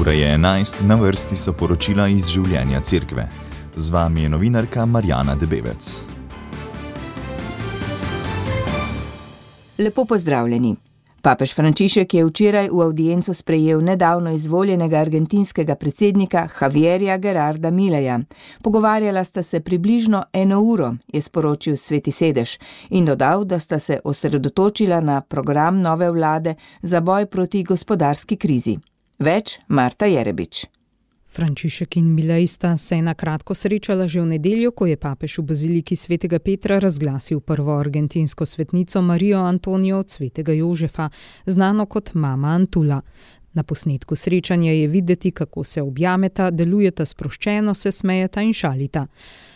Ura je 11, na vrsti so poročila iz življenja cerkve. Z vami je novinarka Marjana Debevec. Lepo pozdravljeni. Papež Frančišek je včeraj v avdienco sprejel nedavno izvoljenega argentinskega predsednika Javierja Gerarda Mileja. Pogovarjala sta se približno 1 uro, je sporočil Sveti sedež, in dodal, da sta se osredotočila na program nove vlade za boj proti gospodarski krizi. Več Marta Jerebič. Frančišek in Milej sta se na kratko srečala že v nedeljo, ko je papež v baziliki svetega Petra razglasil prvo argentinsko svetnico Marijo Antonijo od svetega Jožefa, znano kot mama Antula. Na posnetku srečanja je videti, kako se objameta, delujeta sproščeno, se smejeta in šalita.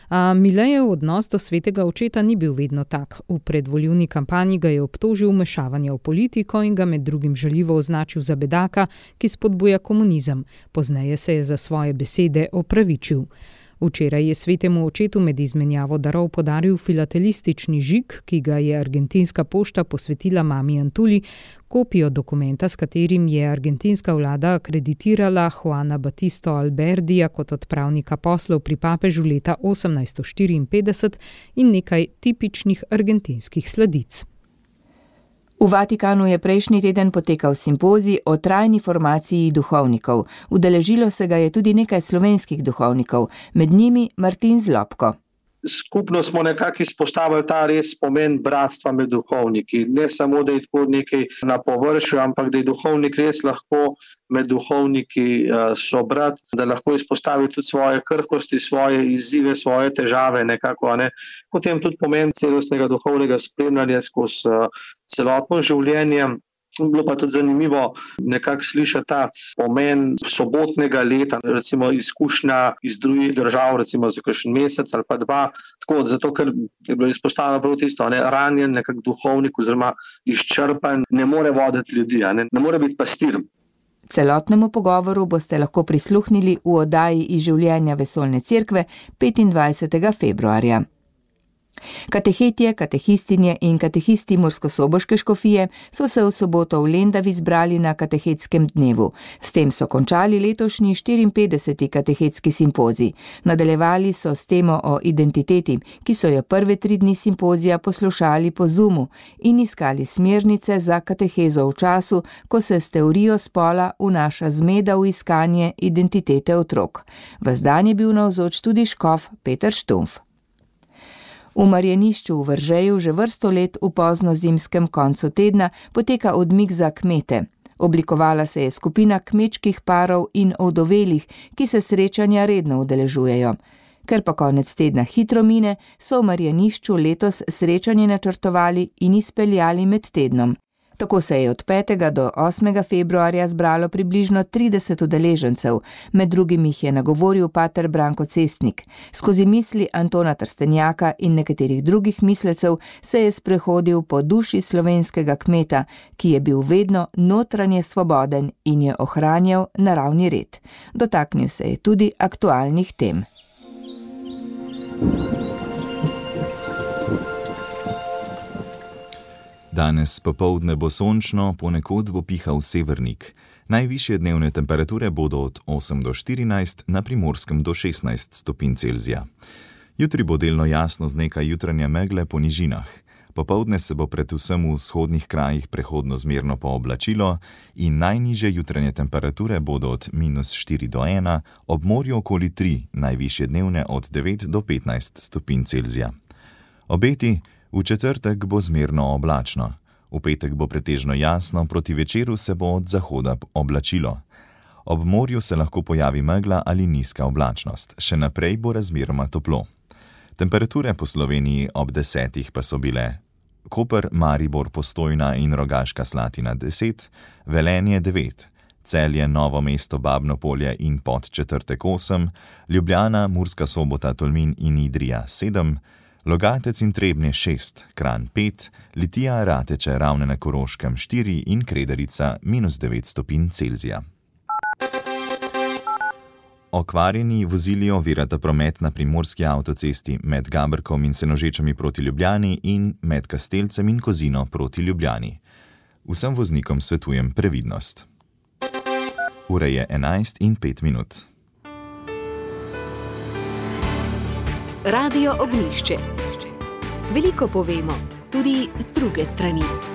A Milejev odnos do svetega očeta ni bil vedno tak. V predvoljivni kampanji ga je obtožil vmešavanja v politiko in ga med drugim žaljivo označil za bedaka, ki spodbuja komunizem. Pozneje se je za svoje besede opravičil. Včeraj je svetemu očetu med izmenjavo darov podaril filatelistični žig, ki ga je argentinska pošta posvetila mami Antuli, kopijo dokumenta, s katerim je argentinska vlada akreditirala Juana Batisto Alberdija kot odpravnika poslov pri papežu leta 1854 in nekaj tipičnih argentinskih sladic. V Vatikanu je prejšnji teden potekal simpozij o trajni formaciji duhovnikov. Udeležilo se ga je tudi nekaj slovenskih duhovnikov, med njimi Martin Zlobko. Skupno smo nekako izpostavili ta res pomen bratstva med duhovniki. Ne samo, da je tako nekaj na površju, ampak da je duhovnik res lahko med duhovniki sobrat, da lahko izpostavi tudi svoje krhkosti, svoje izzive, svoje težave nekako. Potem tudi pomen celostnega duhovnega spremljanja skozi celotno življenje. Bilo pa tudi zanimivo nekako slišati ta pomen sobotnega leta, recimo izkušnja iz drugih držav, recimo za kakšen mesec ali pa 2, tako zato, ker je bilo izpostavljeno prav tisto, ranjen nekak duhovnik oziroma izčrpan, ne more voditi ljudi, ne more biti pastir. Celotnemu pogovoru boste lahko prisluhnili v oddaji iz življenja Vesoljne cerkve 25. februarja. Katehetje, katehistinje in katehisti Murskosoboške škofije so se v soboto v Lendavi zbrali na katehetskem dnevu. S tem so končali letošnji 54. katehetski simpozij. Nadaljevali so s temo o identiteti, ki so jo prve 3 dni simpozija poslušali po Zoomu in iskali smernice za katehezo v času, ko se s teorijo spola vnaša zmeda v iskanje identitete otrok. Ves dan je bil navzoč tudi škof Peter Štumf. V Marjanišču v Veržeju že vrsto let v poznozimskem koncu tedna poteka odmik za kmete. Oblikovala se je skupina kmečkih parov in ovdovelih, ki se srečanja redno udeležujejo. Ker pa konec tedna hitro mine, so v Marjanišču letos srečanje načrtovali in izpeljali med tednom. Tako se je od 5. do 8. februarja zbralo približno 30 udeležencev, med drugim jih je nagovoril pater Branko Cestnik. Skozi misli Antona Trstenjaka in nekaterih drugih mislecev se je sprehodil po duši slovenskega kmeta, ki je bil vedno notranje svoboden in je ohranjal naravni red. Dotaknil se je tudi aktualnih tem. Danes popoldne bo sončno, ponekod bo pihal severnik. Najvišje dnevne temperature bodo od 8 do 14, na Primorskem do 16 stopinj Celzija. Jutri bo delno jasno z nekaj jutranje megle po nižinah. Popoldne se bo predvsem v vzhodnih krajih prehodno zmerno pooblačilo in najnižje jutranje temperature bodo od -4 do 1, ob morju okoli 3, najvišje dnevne od 9 do 15 stopinj Celzija. Obeti: v četrtek bo zmerno oblačno. V petek bo pretežno jasno, proti večeru se bo od zahoda oblačilo. Ob morju se lahko pojavi megla ali nizka oblačnost. Še naprej bo razmeroma toplo. Temperature po Sloveniji ob 10 pa so bile: Koper, Maribor, Postojna in Rogaška Slatina 10, Velenje 9, Celje, Novo mesto, Babno Polje in Podčetrtek 8, Ljubljana, Murska Sobota, Tolmin in Idrija 7, Logatec in Trebnje 6, Kranj 5, Litija, Rateče, Ravne na Koroškem 4 in Kredarica -9 stopinj Celzija. Okvarjeni vozili ovirata promet na primorski avtocesti med Gaberkom in Senožečami proti Ljubljani in med Kastelcem in Kozino proti Ljubljani. Vsem voznikom svetujem previdnost. Ura je 11:05. Radio Ognjišče. Veliko povemo, tudi z druge strani.